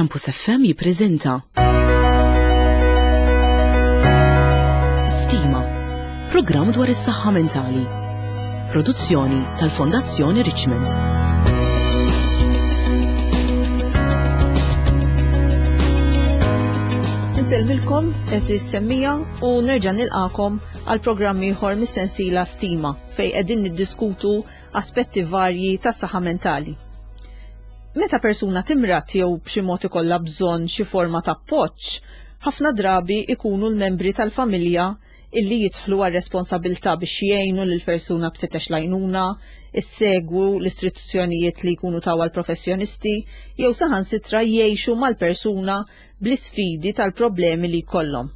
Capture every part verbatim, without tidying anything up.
Campus F M jippreżenta Stima, programm dwar is-saħħa mentali. Produzzjoni tal-Fondazzjoni Richmond. Insellmilkom, għeżież semmiegħa, u nerġa' nilqakom għal programm ieħor mis-sensiela Stima fejn qegħdin niddiskutu aspetti varji tas-saħħa mentali. Meta persuna timrad jew b'xi mod ikollha bżonn xi forma ta' appoġġ, ħafna drabi ikunu l-membri tal-familja illi jidħlu għal responsabilità biex jgħinu lil persuna tfittex l-għajnuna, issegwu l-istruzzjonijiet li jkunu taw għal professjonisti jew saħansitra jgħixu mal-persuna bl-isfidi tal-problemi li jkollhom.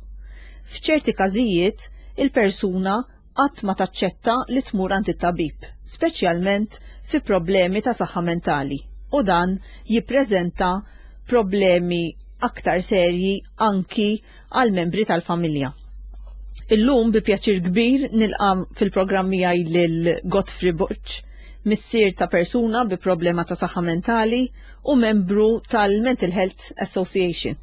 F'ċerti każijiet, il-persuna qatt ma taċċetta li tmur għand it-tabib, speċjalment fi problemi ta' saħħa mentali, u dan jippreżenta problemi aktar serji anki għal membri tal-familja. Illum bi pjaċir kbir nilqa' fil-programm miegħi lil Godfrey Borg, missier ta' persuna bi problema ta' saħħa mentali u membru tal-Mental Health Association.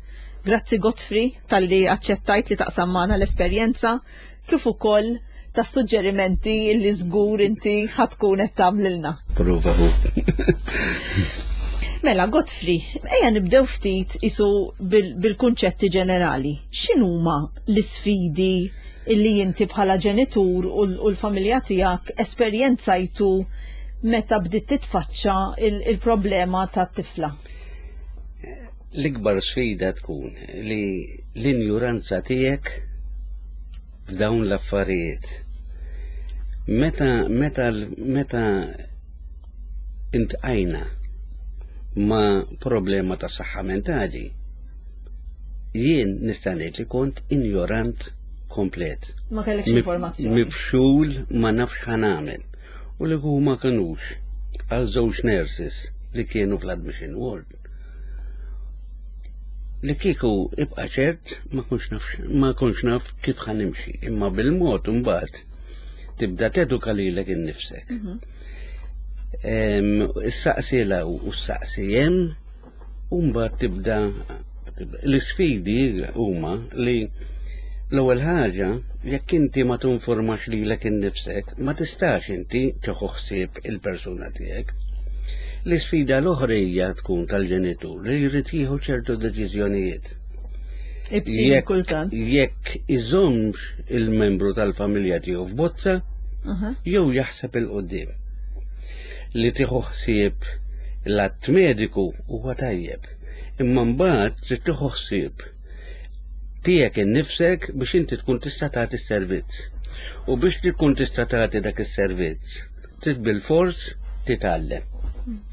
Grazzi, Godfrey, talli aċċettajt li taqsam magħna l-esperjenza kif ukoll tas suġġerimenti li żgur inti ħa tkun qed tagħmlilna. Prova hu. Mela, Godfrey, ejja nibdew ftit isu bil-kunċetti ġenerali. X'inhuma l-isfidi illi inti bħala ġenitur u l-familja tiegħek esperjenzajtu meta bdiet titfaċċa il-problema tat-tifla? L-ikbar sfida tkun li l-injuranza tiegħek f'dawn l-affarijiet. Meta meta meta iltqajna ma' problema ta' saħħa mentali, jien nista' ngħid li kont injorant komplet. Ma kellekx informazzjoni. Mifxul, ma nafx x'ħa nagħmel. U li huma kinux għal żewġ nurses li kienu fl-admission ward. Li kieku ibqa' ċert ma kunx naf ma kunx naf kif ħa nimxi, imma bil-mod imbagħad tibda teduka lilek innifsek. Issaqsi 'l hawn u ssaqsi hemm u mbagħad tibda l-isfidi huma li l-ewwel ħaġa, jekk inti ma tinformax lilek innifsek, ma tistax inti tieħu ħsieb il-persuna tiegħek. L-isfida l-oħra hija tkun tal-ġenitur li jrid jieħu ċertu deċiżjonijiet. Ibsin kultant. Jekk iżommx il-membru tal-familja tiegħu f'bozza jew jaħseb 'il quddiem. Li tieħu ħsieb l-att mediku huwa tajjeb, imma mbagħad trid tieħu ħsieb tiegħek innifsek biex inti tkun tista' tagħti s-servizz. U biex tkun tista' tagħti dak is-servizz, trid bil-fors titgħallem.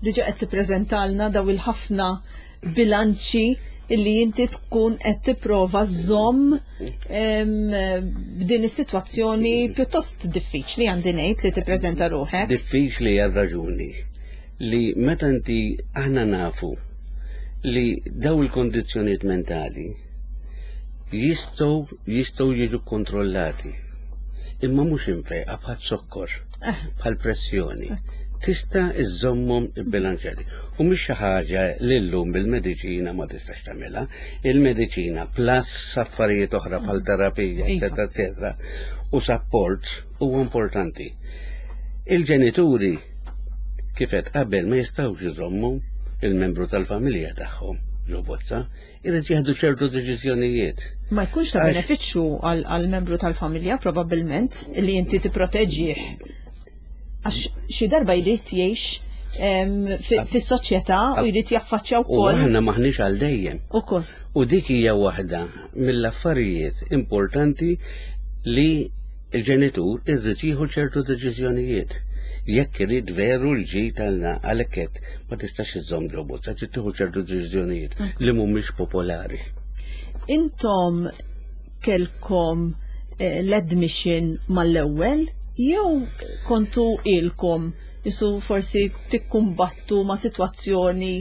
Diġa qed tippreżentalna daw il-ħafna bilanċi illi inti tkun qed tipprova żomm b'din is-sitwazzjoni pjuttost diffiċli, għandi ngħid, li tippreżenta ruħek. Diffiċli għal raġuni li meta inti, aħna nafu li daw il-kondizzjonijiet mentali jistgħu jistgħu jiġu kontrollati. Imma mhux imfejqa bħal sokkor, Eh. bħal pressjoni. Tista' iżommhom ibbilanċjati. U mhix xi ħaġa li llum bil-mediċina ma tistax tagħmilha. Il-mediċina plus affarijiet oħra bħal terapija, Iva. eċetera, eċetera, u support huwa importanti. Il-ġenituri, kif qed qabel, ma jistgħux iżommu il-membru tal-familja tagħhom ġo bozza, irid jieħdu ċertu deċiżjonijiet. Ma jkunx ta' Għax- benefiċċju għal għal membru tal-familja probabbilment li inti tipproteġih. Għax xi darba jrid jgħix em, fi- fis-soċjetà u jrid jaffaċċja U wkoll aħna maħniex għal dejjem. Ukoll. U dik hija waħda mill-affarijiet importanti li il-ġenitur irrid jieħu ċertu deċiżjonijiet. Jekk irid veru l-ġid tagħna, għalhekk qed ma tistax iżomm ġo bozza, trid tieħu ċertu deċiżjonijiet li mhumiex popolari. Intom kelkom eh, l-admission mal-ewwel jew kontu ilkom jisu forsi tikkumbattu ma' sitwazzjoni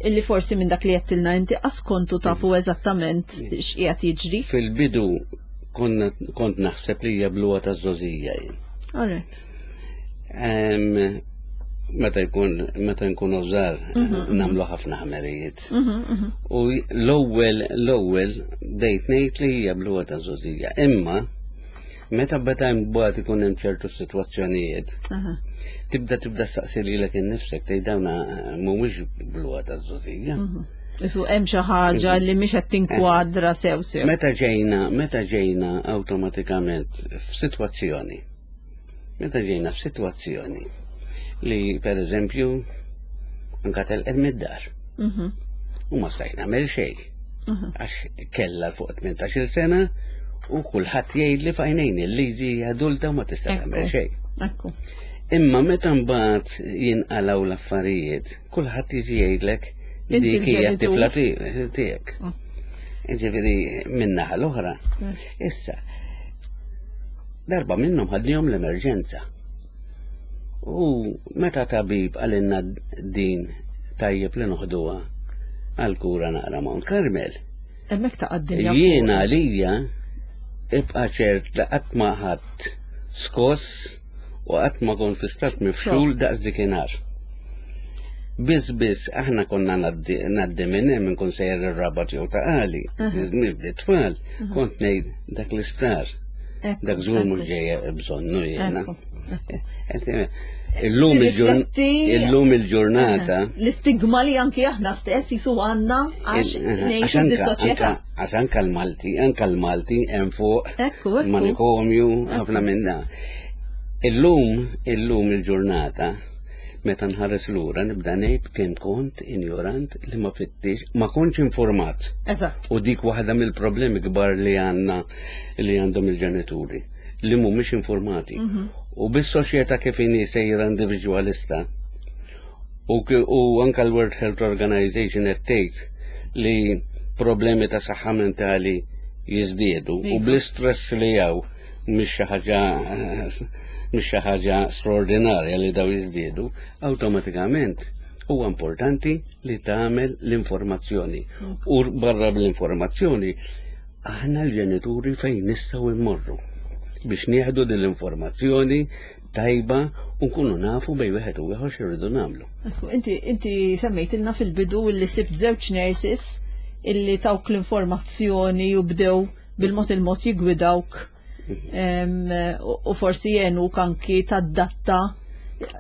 illi forsi minn dak li għedtilna inti qas kontu tafu eżattament x'qiegħed jiġri? Fil-bidu konna kont naħseb li hija bluha ta' żgħożija jien. Alright. Em, meta jkun meta nkunu żgħar nagħmlu ħafna ħmerijiet. U l-ewwel l-ewwel bdejt ngħid li hija bluha ta' żgħożija. Imma meta beda mbagħad ikun hemm ċertu sitwazzjonijiet, tibda tibda staqsi lilek innifsek tgħid dawna mhumiex bluha ta' żgħożija. Isu hemm xi ħaġa li mhix qed tinkwadra sew sew. Meta ġejna, meta ġejna awtomatikament f'sitwazzjoni, meta ġejna f'sitwazzjoni li per eżempju anka telqet mid-dar. U ma stajt nagħmel xejn. Għax kellha fuq tmintax-il sena u kulħadd jgħid li f'għajnejn il-liġi adulta u ma tista' tagħmel xejn. Ekku. Imma meta mbagħad jinqalgħu l-affarijiet, kulħadd jiġi jgħidlek Inti dik hija l-ġenitur. t-tifla tiegħek. Ġifieri min-naħa l-oħra. Issa, darba minnhom ħadnihom l-emerġenza. U meta tabib qalilna din tajjeb li noħduha għal kura naqra Mount Carmel. Hemmhekk ta' d-dinja. Jiena għalija ibqa' ċert li qatt ma ħadd skoss u qatt ma kont fi stat mifxul daqs dikinhar. Biss biss aħna konna ngħaddi ngħaddi minn hemm inkun sejjer ir-Rabat jew Ta' Qali, bit-tfal, kont ngħid dak l-isptar. Ekku, Dak żgur mhux ekku. ġejja bżonnu jiena. Ekku, Illum il-ġurn- Tirrifletti- illum il-ġurnata L-istigma li anki aħna stess jisu għandna għax ngħixu anka- fis-soċjetà. anka- Għax anka l-Malti, anka l-Malti hemm fuq Ekku, ekku. manikomju, ħafna minn da. Illum, illum il-ġurnata, meta nħares lura nibda ngħid kemm kont injorant li ma fittix, ma kontx informat. Eżatt. U dik waħda mill-problemi kbar li għandna li għandhom il-ġenituri li mhumiex informati. U bis-soċjetà kif inhi sejra individwalista u, ki- u anka l-World Health Organization qed tgħid li problemi ta' saħħa mentali jiżdiedu u Iva. bl-istress li hawn mhix xi ħaġa mhix xi ħaġa straordinarja li daw jiżdiedu, awtomatikament huwa importanti li tagħmel l-informazzjoni. U barra bl-informazzjoni aħna l-ġenituri fejn nistgħu immorru biex nieħdu din l-informazzjoni tajba u nkunu nafu bejn wieħed u ieħor x'irridu nagħmlu. Ekku, Inti, inti semmejtilna fil-bidu li sibt żewġ nurses illi tawk l-informazzjoni u bdew bil-mod il-mod jigwidawk em, u u forsi jgħinuk anki tadatta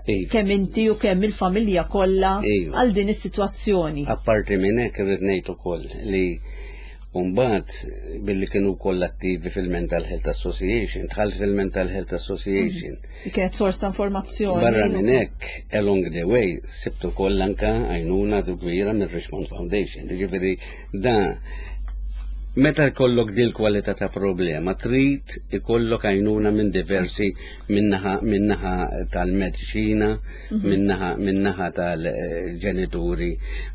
Iva. kemm inti u kemm il-familja kollha Iva. għal din is-sitwazzjoni. Apparti minn hekk irrid ngħid ukoll li mbagħad billi kienu wkoll attivi fil-Mental Health Association, dħalt fil-Mental Health Association. Kienet sors ta' informazzjoni. Barra minn hekk, along the way, sibt ukoll anka għajnuna kbira mir-Richmond Foundation. Ġifieri da meta jkollok dil kwalità ta' problema, trid ikollok għajnuna minn diversi minnaħa minnaħa tal-mediċina, minnaħa minnaħa tal-ġenituri,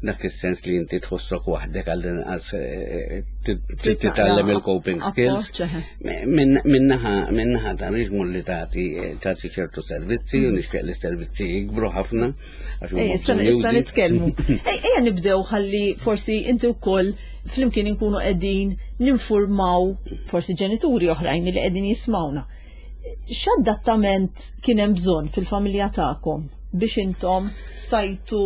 dak is-sens li inti tħossok waħdek għall-inqas eh, Trid titgħallem naqra il-coping skills. appoġġ, eħe. Min- Minnaħa minnaħa ta' Richmond li tagħti tagħti ċertu servizzi u nixtieq li servizzi jikbru ħafna għax huma Ej, issa issa bżonjużi. nitkellmu. Ej, ejja nibdew ħalli forsi inti wkoll flimkien inkunu qegħdin ninfurmaw forsi ġenituri oħrajn li qegħdin jismawna. X'adattament kien hemm bżonn fil-familja tagħkom biex intom stajtu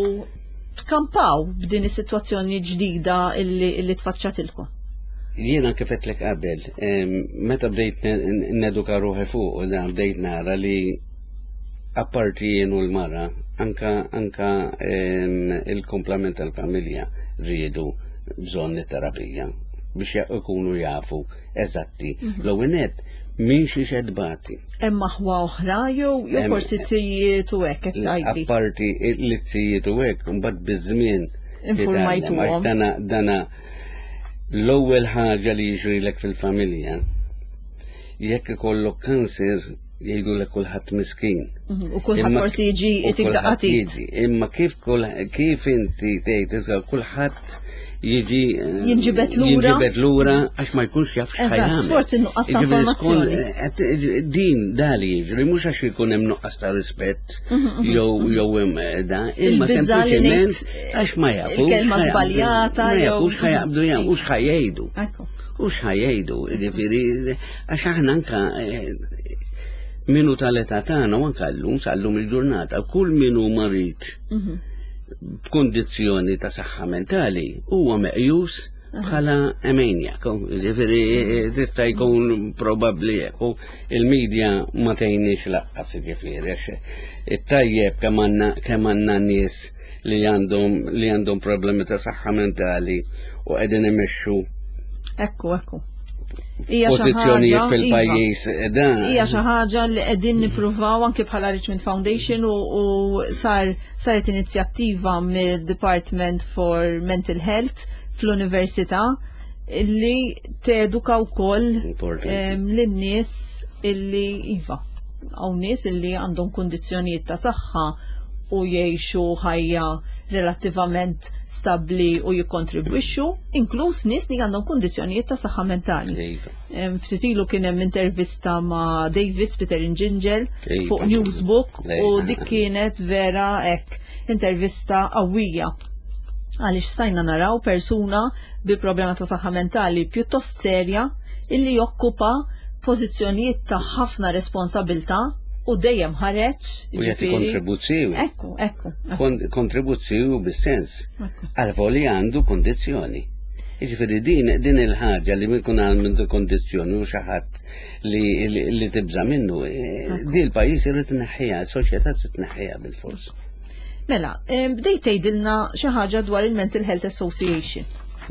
tkampaw b'din is-sitwazzjoni ġdida illi, illi tfaċċatilkom? Jiena kif għedtlek qabel, em, meta bdejt ne- neduka ruħi fuq, u dan bdejt nara li apparti jien u l-mara, anka, anka em, il-komplement tal-familja riedu bżonn it-terapija biex ja- ikunu jafu eżatti. L-ewwel nett, min xi xedbati. Hemm aħwa oħra jew jew Hemm- forsi zijiet u hekk qed tgħidli. Apparti l-izzijiet u hekk, mbagħad biż-żmien Informajtuhom. titgħallem, għax Dana, dana l-ewwel ħaġa li jiġrilek fil-familja, jekk ikollok kanser jgħidulek kulħadd miskin. Mhm, U kulħadd Imma- forsi jiġi u itik kulħadd daqqa t'id. jiġi. Imma kif kull kif inti tgħid iżda kulħadd jiġi eh, Jinġibed lura. Jinġibed lura għax ma jkunx jaf Eżatt, x'ħajamel. sforz in-nuqqas ta' Jiġifieri skont- informazzjoni. eh, din dali jiġri mhux għax ikun hemm nuqqas ta' rispett jew jew hemm eh, da, imma Mhm, Il-biża' li sempliċement ngħid, għax ma jafux. il-kelma x'ħajaqbdu- żbaljata Ma jew- jafux x'ħajaqbdu jagħmlu u x'ħajjgħidu. Ekku. U x'ħajjgħidu, jiġifieri għax aħna anka eh, Min hu tal-età tagħna u anke llum sal-lum il-ġurnata, kull min hu marid b'kondizzjoni ta' saħħa mentali huwa meqjus bħala maniac, ġifieri tista' jkun probabbli hekk. U il-medja ma tgħinix lanqas, ġifieri, għax it-tajjeb kemm għandna kemm għandna nies li għandhom li għandhom problemi ta' saħħa mentali u qegħdin imexxu Ekku, ekku. Hija xi pożizzjonijiet ħaġa- fil-pajjiż dan. Hija xi ħaġa li qegħdin nippruvaw anke bħala Richmond Foundation u, u sar saret inizjattiva mill-Department for Mental Health fl-Università li teduka wkoll Importanti. em, lin-nies illi iva hawn nies illi għandhom kundizzjonijiet ta' saħħa u jgħixu ħajja relattivament stabbli u jikkontribwixxu, inkluż nies li għandhom kundizzjonijiet ta' saħħa mentali. Iva. Em, Ftit ilu kien hemm intervista ma' David Peter Gingell Iva. fuq Newsbook u Iva. dik kienet vera hekk intervista qawwija, għaliex stajna naraw persuna bi problema ta' saħħa mentali pjuttost serja illi jokkupa pożizzjonijiet ta' ħafna responsabilta u dejjem ħareġ. U jagħti ġifieri- kontribuzzjoni. Ekku, ekku, ekku. Kon- Kontribuzzjoni bis-sens. Ekku. Għal għandu kondizzjoni. Jiġifieri din din il-ħaġa li min kun għandu kondizzjoni u xi ħadd li, li, li tibża minnu, eh, di l-pajjiż irid tneħħiha, is-soċjetà trid tneħħiha bil-fors. Mela, em, bdejt tgħidilna xi ħaġa dwar il-Mental Health Association.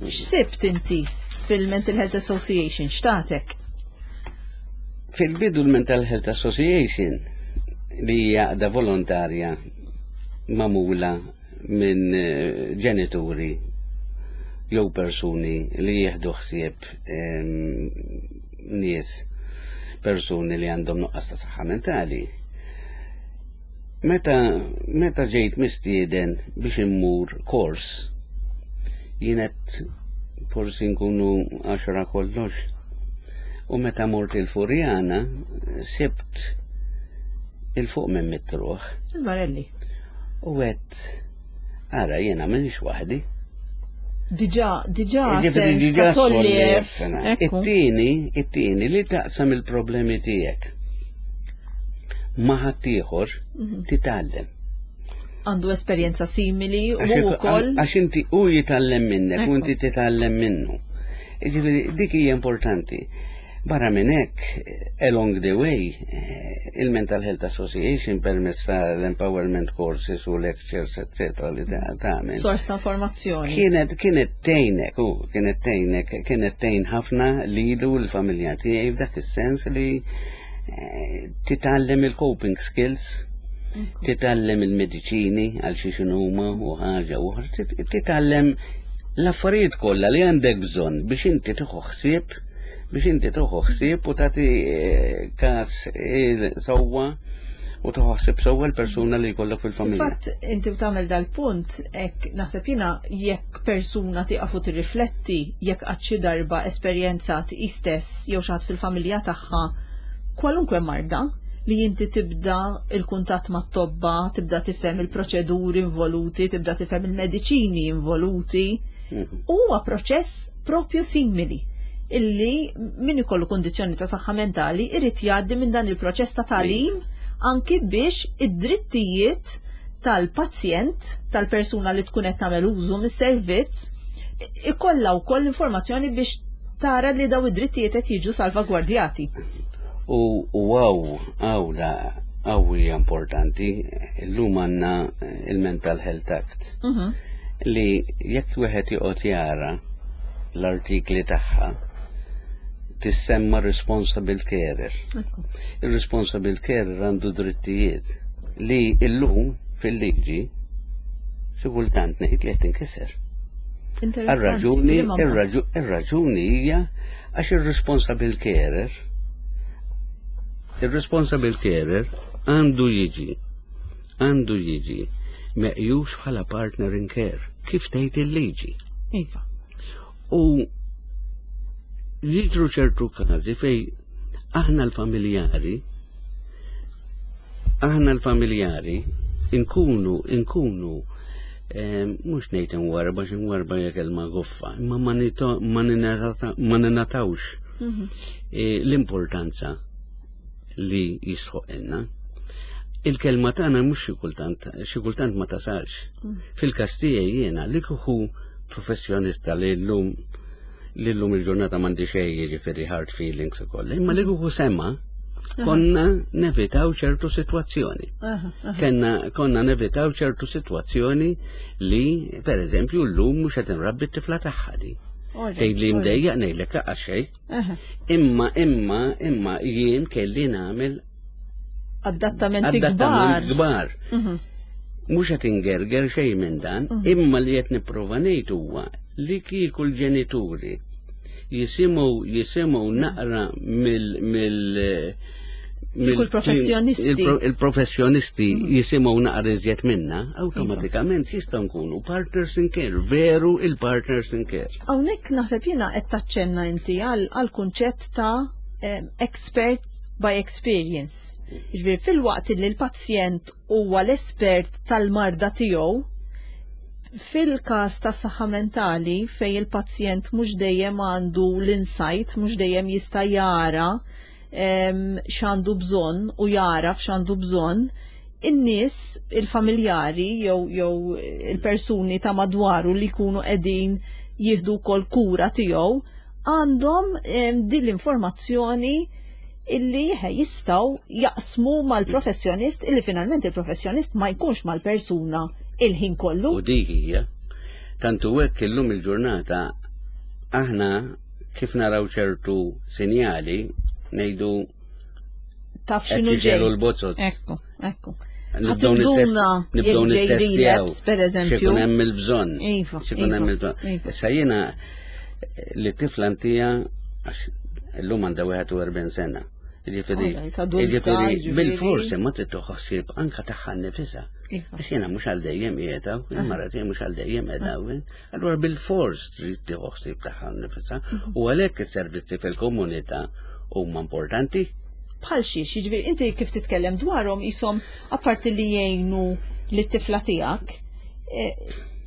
X'sibt inti fil-Mental Health Association? X'tatek? Fil-bidu l-Mental Health Association, li hija għaqda volontarja magħmula minn eh, ġenituri jew persuni li jieħdu ħsieb em, nies, persuni li għandhom nuqqas ta' saħħa mentali. Meta, meta ġejt mistieden biex immur kors, jienet forsi nkunu għaxra kollox. U meta mort il-Furjana, sibt 'il fuq minn mitt ruħ. Il-Marelli. U għedt, ara, jena m'iniex waħdi. Diġà, diġà, Ġifieri sens diġà ta' solliev. solliev. Ekku. It-tieni, it-tieni li taqsam il-problemi tiegħek ma' ħaddieħor titgħallem. Għandu esperjenza simili u Għax wkoll. Għax inti u jitgħallem minnek u Ekku. inti titgħallem minnu. Ġifieri dik hija importanti. Barra minn hekk, along the way, eh, il-Mental Health Association permezz tal-empowerment courses u lectures, eccetera, li ta' tagħmel. Sors ta' informazzjoni. Kienet, kienet tgħinek, u kienet tgħinek, kienet tgħin ħafna lilu l-familja tiegħi f'dak is-sens li eh, titgħallem il-coping skills, titgħallem il-mediċini għal xi x'inhuma u ħaġa oħra, tit- titgħallem l-affarijiet kollha li għandek bżonn biex inti tieħu ħsieb biex inti tieħu ħsieb u tagħti eh, każ il-sewwa u tieħu ħsieb sewwa l-persuna li jkollok fil-familja. Fil-fatt, inti u tagħmel dal-punt, hekk naħseb jiena jekk persuna tieqaf u tirrifletti jekk qatt xi darba esperjenzat hi stess jew xi ħadd fil-familja tagħha kwalunkwe marda, li inti tibda il-kuntatt mat-tobba, tibda tifhem il-proċeduri involuti, tibda tifhem il-mediċini involuti. Mhm. Huwa proċess propju simili illi min ikollu kondizzjoni ta' saħħa mentali irid jgħaddi minn dan il-proċess ta' tagħlim anki biex id-drittijiet tal-pazjent, tal-persuna li tkun qed tagħmel użu mis-servizz, ikollha wkoll informazzjoni biex tara li daw id-drittijiet qed jiġu salvagwardjati. U u għaw, għaw la, għaw hija importanti, illum għandna il-Mental Health Act Mhm. li jekk wieħed joqgħod jara l-artikli tagħha tissemma responsible carer. Ekku. Il-responsible carer għandu drittijiet li illum fil-liġi xi kultant ngħid li qed tinkiser. Interessanti. Ir-raġuni, Liema mod? ir-raġu- ir-raġuni hija għax ir-responsible carer ir-responsible carer għandu jiġi għandu jiġi meqjus bħala partner in care, kif tgħid il-liġi. Iva. U jiġru ċertu każi fej aħna l-familjari aħna l-familjari inkunu inkunu eh, mhux ngħid imwarba, xi mwarba hija kelma goffa, imma ma nito- ma ninata- ma ninatawx Mhm. eh, l-importanza li jistħoqilna. Il-kelma tagħna mhux xi kultant, xi kultant ma tasalx. Mm. Fil-każ tiegħi jiena li kieku professjonista li llum li llum il-ġurnata m'għandi xejn, jiġifieri hard feelings ukoll, imma li kieku semma konna nevitaw ċertu situazzjoni. Kenna konna nevitaw ċertu situazzjoni li, per eżempju, llum mhux qed nrabbi t-tifla tagħha di. Tgħid li mdejjaq, ngħidlek laqas xejn. Imma imma imma jien kelli nagħmel adattamenti kbar. Kbar. Mhm. Mhux qed ingerger xejn minn dan, mhm. imma li qed nipprova ngħid huwa li kieku l-ġenituri jisimgħu jisimgħu naqra mill mill il-professjonisti. Il-professjonisti mhm. jisimgħu naqra iżjed minna, awtomatikament jistgħu nkunu partners in care, veru il-partners in care. Hawnhekk naħseb jiena qed taċċenna inti għal kunċett ta' expert by experience. Jiġifieri fil-waqt li l-pazjent huwa l-espert tal-marda tiegħu, fil-każ ta' saħħa mentali fej il-pazjent mhux dejjem għandu l-insight, mhux dejjem jista' jara x'għandu bżonn u jaraf x'għandu bżonn, in-nies, il-familjari jew jew il-persuni ta' madwaru li jkunu qegħdin jieħdu wkoll kura tiegħu għandhom din l-informazzjoni illi jistgħu jaqsmu mal-professjonist, illi finalment il-professjonist ma jkunx mal-persuna il-ħin kollu. U dik hija. Tantu hekk illum il-ġurnata aħna kif naraw ċertu sinjali ngħidu taf x'inhu ġej. L-bozzot. Ekku, ekku. Nibdew nibdew nittestjaw. Per eżempju. X'ikun hemm il-bżonn. Iva. X'ikun hemm il-bżonn. Iva. Issa jiena li tifla ntija, għax illum għandha wieħed u erbgħin sena. Ġifieri, ġifieri bil-forsi ma trid ħossib anka tagħha nnifisha. Iva. Għax jiena mhux għal dejjem qiegħda, il-mara tiegħi mhux għal dejjem qiegħda. Allura bil-fors trid tieħu ħsieb tagħha nnifisha u għalhekk is-servizzi fil-komunità huma importanti. Bħal xiex, jiġifieri inti kif titkellem dwarhom jisom apparti li jgħinu lit-tifla tiegħek, eh,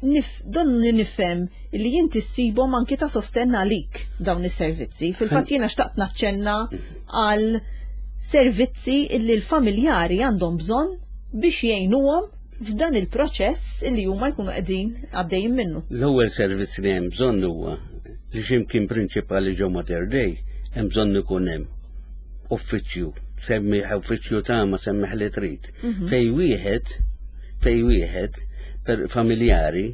nif, donni nifhem li jinti ssibhom anki ta' sostenn għalik dawn is-servizzi. Fil-fatt jiena xtaqt naċċenna għal servizzi illi l-familjari għandhom bżonn biex jgħinuhom f'dan il-proċess illi huma jkunu qegħdin għaddejjin minnu. L-ewwel servizz li hemm bżonn huwa li x'imkien prinċipali ġo Mater Dei hemm bżonn ikun hemm uffiċċju, semmiħ uffiċċju ta' ma semmiħ li trid. Mhm. Fej wieħed, fej wieħed per familjari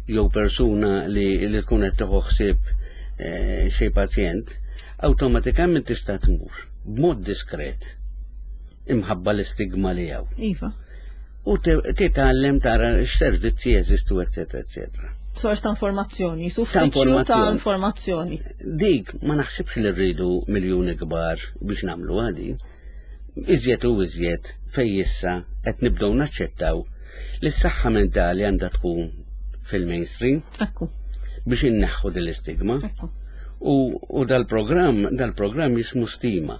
jew persuna li, li tkun qed tieħu ħsieb eh, xi pazjent, awtomatikament tista' tmur b'mod diskret imħabba l-istigma li hawn. Iva. U titgħallem tara x'servizzi jeżistu, eccetera, eccetera. Sors ta' informazzjoni, uffiċċju ta' informazzjoni. Dik ma naħsibx li rridu miljuni kbar biex nagħmlu għadi. Iżjed u iżjed fej issa qed nibdew naċċettaw li s-saħħa mentali għandha tkun fil-mainstream. Ekku. Biex inneħħu din l-istigma. Ekku. U, u dal-programm dal-programm jismu Stima.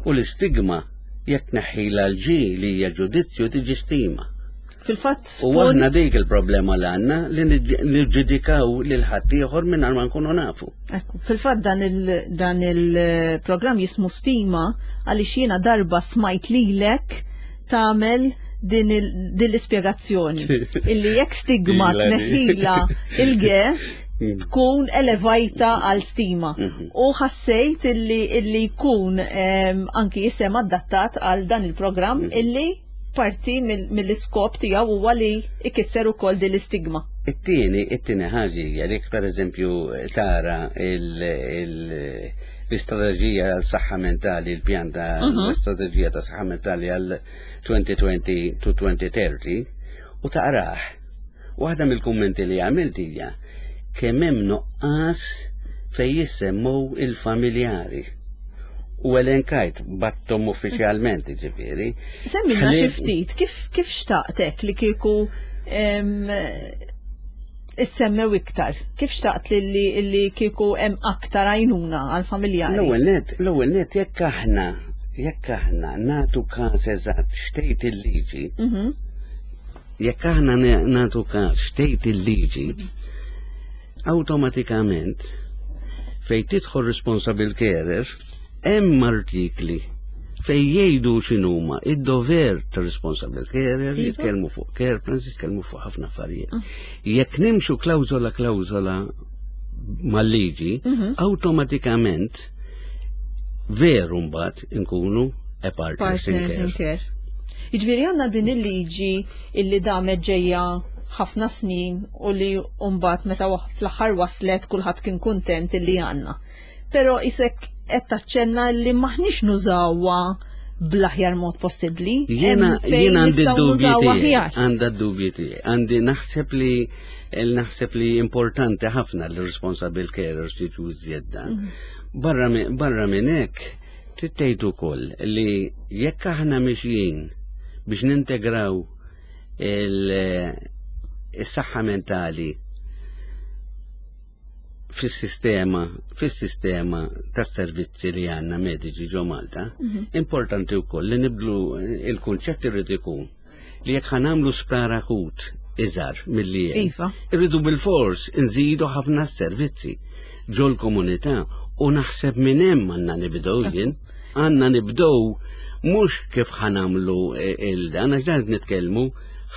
U l-istigma jekk neħħila l-G li hija ġudizzju tiġi stima. Fil-fatt U aħna dik il-problema li għandna li niġġudikaw lil ħaddieħor mingħajr ma nkunu nafu. Ekku, fil-fatt dan il dan il-programm jismu Stima għaliex jiena darba smajt lilek tagħmel din l-ispjegazzjoni illi jekk stigma tneħħila il-G Mm. tkun elevajta għal stima. Mhm. U ħassejt illi illi jkun anki jisem adattat għal dan il-programm Mhm. illi parti mill-iskop tiegħu huwa li ikisser ukoll din l-istigma. It-tieni, it-tieni ħaġa hija li pereżempju tara l-istrateġija għal saħħa mentali, il-pjan ta' Mhm. l-istrateġija ta' saħħa mentali għal elfejn u għoxrin to elfejn u tletin u taqrah. Waħda mill-kummenti li għamilt hija kemm hemm nuqqas fejn jissemmew il-familjari. U elenkajt battom uffiċjalment, ġifieri. Semmilna xi ftit, kif kif xtaqtek li kieku em, issemmew iktar? Kif xtaqt li li, li kieku hemm aktar għajnuna għal-familjari? L-ewwel net, l-ewwel net jekk aħna jekk aħna nagħtu każ eżatt x'tgħid il-liġi, Mhm. jekk aħna nagħtu każ x'tgħid il-liġi, awtomatikament fejn tidħol responsible carer hemm artikli Fej jgħidu x'inhuma id-dover ta' responsible carer, Iva. jitkellmu fuq care plans, jitkellmu fuq ħafna affarijiet. Jekk nimxu klawżola klawżola mal-liġi, awtomatikament veru mbagħad inkunu a partners in Partners in care. care. Jiġifieri għandna din il-liġi illi damet ġejja ħafna snin u li mbagħad meta wa- fl-aħħar waslet kulħadd kien kuntent illi għandna. Però isek qed taċċenna li maħniex nużawha bl-aħjar mod possibbli. Jena, Hemm fejn jena għandi nistgħu d-dubji nużawha tiegħi, aħjar. għandha d-dubji tiegħi. Għandi naħseb li naħseb li importanti ħafna li responsible carers jiġu iżjed dan. Barra mi- Barra minn hekk trid tgħid ukoll li jekk aħna mixjin biex nintegraw il- is-saħħa mentali fis-sistema fis-sistema tas-servizzi li għandna mediċi ġo Malta, importanti wkoll li nibdlu il-kunċett irid ikun li jekk ħa nagħmlu sptar akut iżgħar milli hemm, Iva. irridu bil-fors nżidu ħafna servizzi ġol komunità u naħseb minn hemm għandna nibdew jien, għandna nibdew mhux kif ħa nagħmlu il-dan, għax dan nitkellmu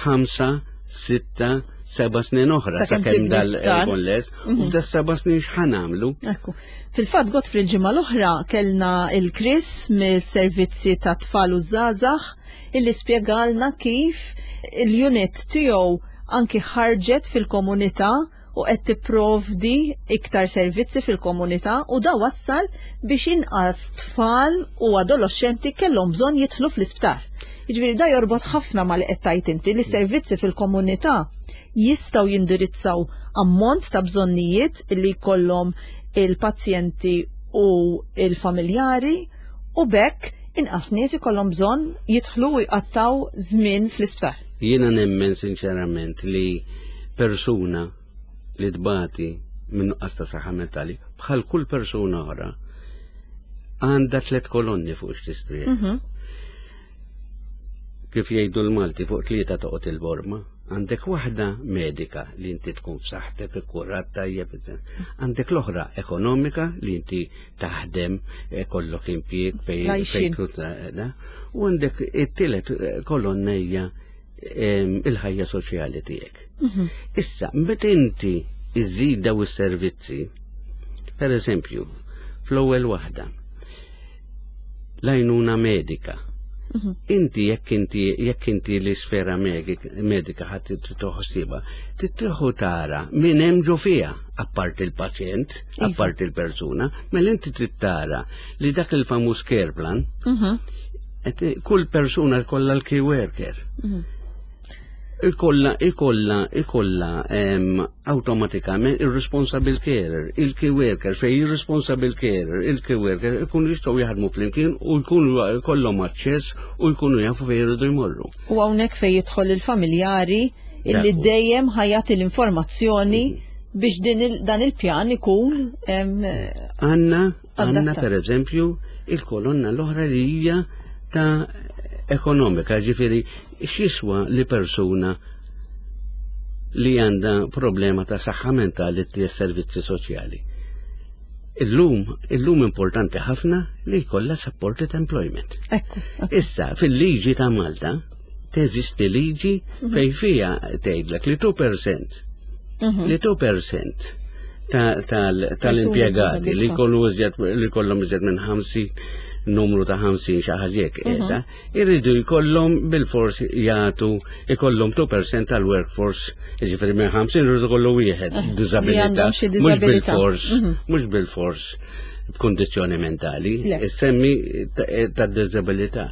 ħamsa, sitta, seba' snin oħra Sakemm sakemm tibni dal sptar. ikun les, u f'da seba' snin x'ħa nagħmlu? Ekku. Fil-fatt Godfrey il-ġimgħa l-oħra kellna il-Chris mill-servizzi ta' tfal u żgħażagħ illi spjegalna kif il-unit tiegħu anki ħarġet fil-komunità u qed tipprovdi iktar servizzi fil-komunità u da wassal biex inqas tfal u adolescenti kellhom bżonn jidħlu fl-isptar. Jiġifieri da jorbot ħafna ma li qed tgħid inti li servizzi fil-komunità jistgħu jindirizzaw ammont ta' bżonnijiet li jkollhom il-pazjenti u il-familjari u bekk inqas nies ikollhom bżonn jidħlu u jqattaw żmien fl-isptar. Jiena nemmen sinċerament li persuna li tbati minn nuqqas ta' saħħa mentali bħal kull persuna oħra għandha tliet kolonni fuq x'tistrieħ. Kif jgħidu l-Malti fuq tlieta toqgħod il-borma, għandek waħda medika li inti tkun f'saħħtek ikkurat tajjeb, għandek l-oħra ekonomika li inti taħdem, eh, kollok impjieg fej L-għajxien. fejn da, u għandek it-tielet eh, kolonna hija em, il-ħajja soċjali tiegħek. Issa, meta inti iżid daw is-servizzi, per eżempju, fl-ewwel waħda, l-għajnuna medika. Inti jekk inti jekk inti l-isfera medika ħadd toħsiba, titieħu tara min hemm ġo fiha, apparti il-pazjent, Iva. apparti il-persuna, mela inti trid tara li dak il-famuż care plan, et kull persuna jkollha l-key worker. Ikolla, ikolla, ikolla em, automatikament il-responsible carer, il-key worker, fej il-responsible carer, il-key worker, ikunu jistgħu jaħdmu flimkien u jkunu jkollhom aċċess u jkunu jafu fejn jridu jmorru. U hawnhekk fejn jidħol il-familjari illi Dak hu. dejjem ħa jagħti l-informazzjoni biex din il, dan il-pjan ikun em, Għanna, għanna Adattat. per eżempju, il-kolonna l-oħra li hija ta' ekonomika, ġifieri, x'jiswa li persuna li għandha problema ta' saħħa mentali t servizzi soċjali. Illum, illum importanti ħafna li jkollha supported employment. Ekku, ekku. Issa, fil-liġi ta' Malta, teżisti liġi fej fija tgħidlek li two percent li two percent ta- tal- tal-impjegati li b'diżabilità. jkollu iżjed li jkollhom iżjed minn ħamsin, numru ta' ħamsin xi ħaġa hekk qiegħda, irridu jkollhom bil-fors jagħtu ikollhom two percent tal-workforce, jiġifieri minn ħamsin irridu jkollu wieħed Li diżabilità. Għandhom xi Mhux diżabilità. bil-fors, mhux bil-fors b'kondizzjoni mentali, Le. semmi ta' diżabilità.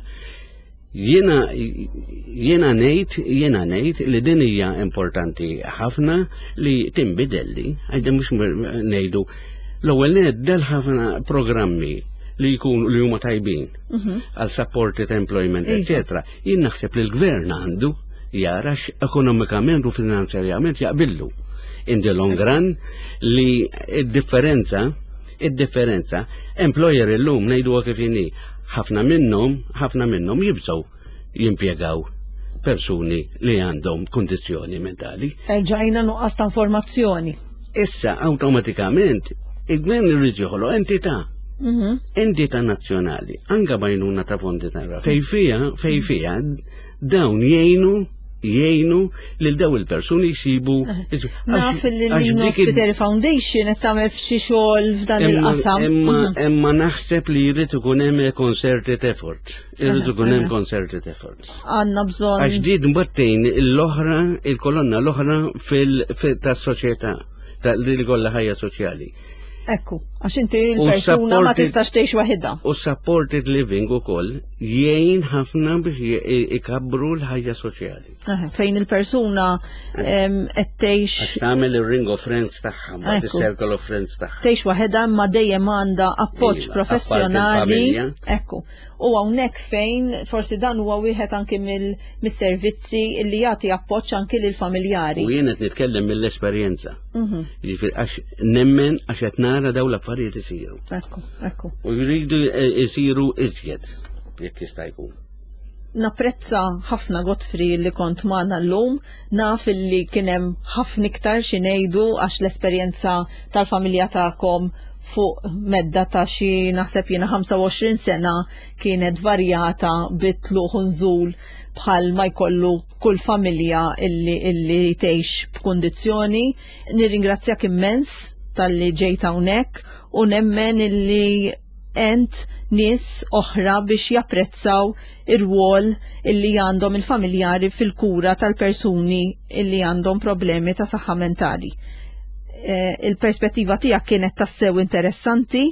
Jiena jiena ngħid jiena ngħid li din hija importanti ħafna li tinbidel li għajda mhux ngħidu l-ewwel del ħafna programmi li jkunu li huma tajbin għal supported employment, Iva. eccetera. Jien naħseb li l-gvern għandu jara ekonomikament u finanzjarjament jaqbillu in the long run li id-differenza id-differenza employer illum ngħidu kif inhi, ħafna minnhom ħafna minnhom jibżgħu jimpjegaw persuni li għandhom kondizzjoni mentali. Erġajna nuqqas ta' informazzjoni. Issa awtomatikament il-gvern irid joħloq entità. Mhm. Entità nazzjonali, anka b'għajnuna ta' fondi ta' fej fija, fej fija, dawn jgħinu jgħinu lil daw il-persuni jsibu. Naf li Lino Spiteri Foundation qed tagħmel f'xi xogħol f'dan il-qasam. Imma Mhm. imma naħseb li jrid ikun hemm concerted effort. Irid ikun hemm concerted effort. Għandna bżonn. Għax din battejn l-oħra, il-kolonna l-oħra fil tas-soċjetà, ta' li kollha ħajja soċjali. Ekku, għax inti l-persuna ma supported- tistax tgħix waħedha. U supported living ukoll jgħin ħafna biex j- ikabbru l-ħajja soċjali. Eħe, fejn il-persuna em, qed tgħix Għax tagħmel il-ring of friends tagħha, mbagħad Ekku. is-circle of friends tagħha. Tgħix waħedha imma dejjem għandha appoġġ Iva, professjonali. apparti l-familja. Ekku. U hawnhekk fejn forsi dan huwa wieħed anki mill- mis-servizzi li jagħti appoġġ anki lil familjari. U jien qed nitkellem mill-esperjenza. Mhm. Jiġifieri għax nemmen, għax qed nara dawn l-affarijiet isiru. Ekku, ekku. U jridu isiru iżjed jekk jista' jkun. Napprezza ħafna, Godfrey, li kont magħna llum, naf li kien hemm ħafna iktar xi ngħidu għax l-esperjenza tal-familja tagħkom fuq medda ta' xi naħseb jiena ħamsa u għoxrin sena kienet varjata bit-tluq u nżul bħal ma jkollu kull familja illi, illi tgħix b'kundizzjoni. Nirringrazzjak immens talli ġejt hawnhekk u nemmen illi għent nies oħra biex japprezzaw ir-rwol illi għandhom il-familjari fil-kura tal-persuni illi għandhom problemi ta' saħħa mentali. Eh, Il-perspettiva tiegħek kienet tassew interessanti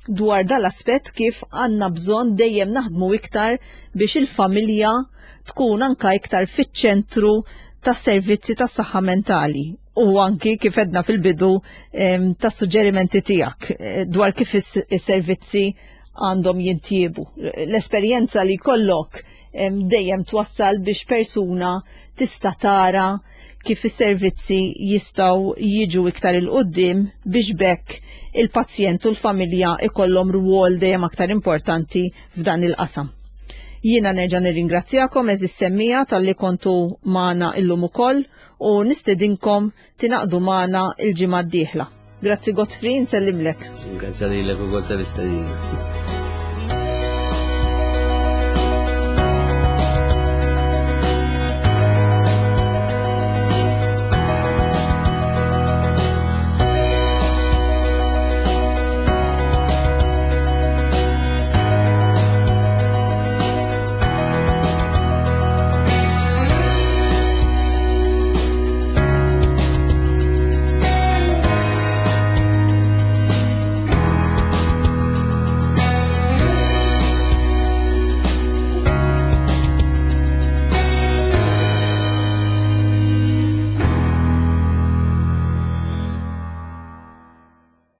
dwar dal-aspett, kif għandna bżonn dejjem naħdmu iktar biex il-familja tkun anka iktar fiċ-ċentru tas-servizzi tas-saħħa mentali u anki kif għedna fil-bidu em, tas-suġġerimenti tiegħek eh, dwar kif is- is-servizzi għandhom jintjiebu. L-esperjenza li kollok em, dejjem twassal biex persuna tista' tara kif is-servizzi jistgħu jiġu iktar 'il quddiem biex b'hekk il-pazjent u l-familja ikollhom rwol dejjem aktar importanti f'dan il-qasam. Jiena nerġa' nirringrazzjakom, għeżież semmiegħa, talli kontu magħna illum ukoll u nistedinkom tingħaqdu magħna il-ġimgħa d-dieħla. Grazzi Godfrey, nsellimlek. Grazzi lilek ukoll tal-istedina.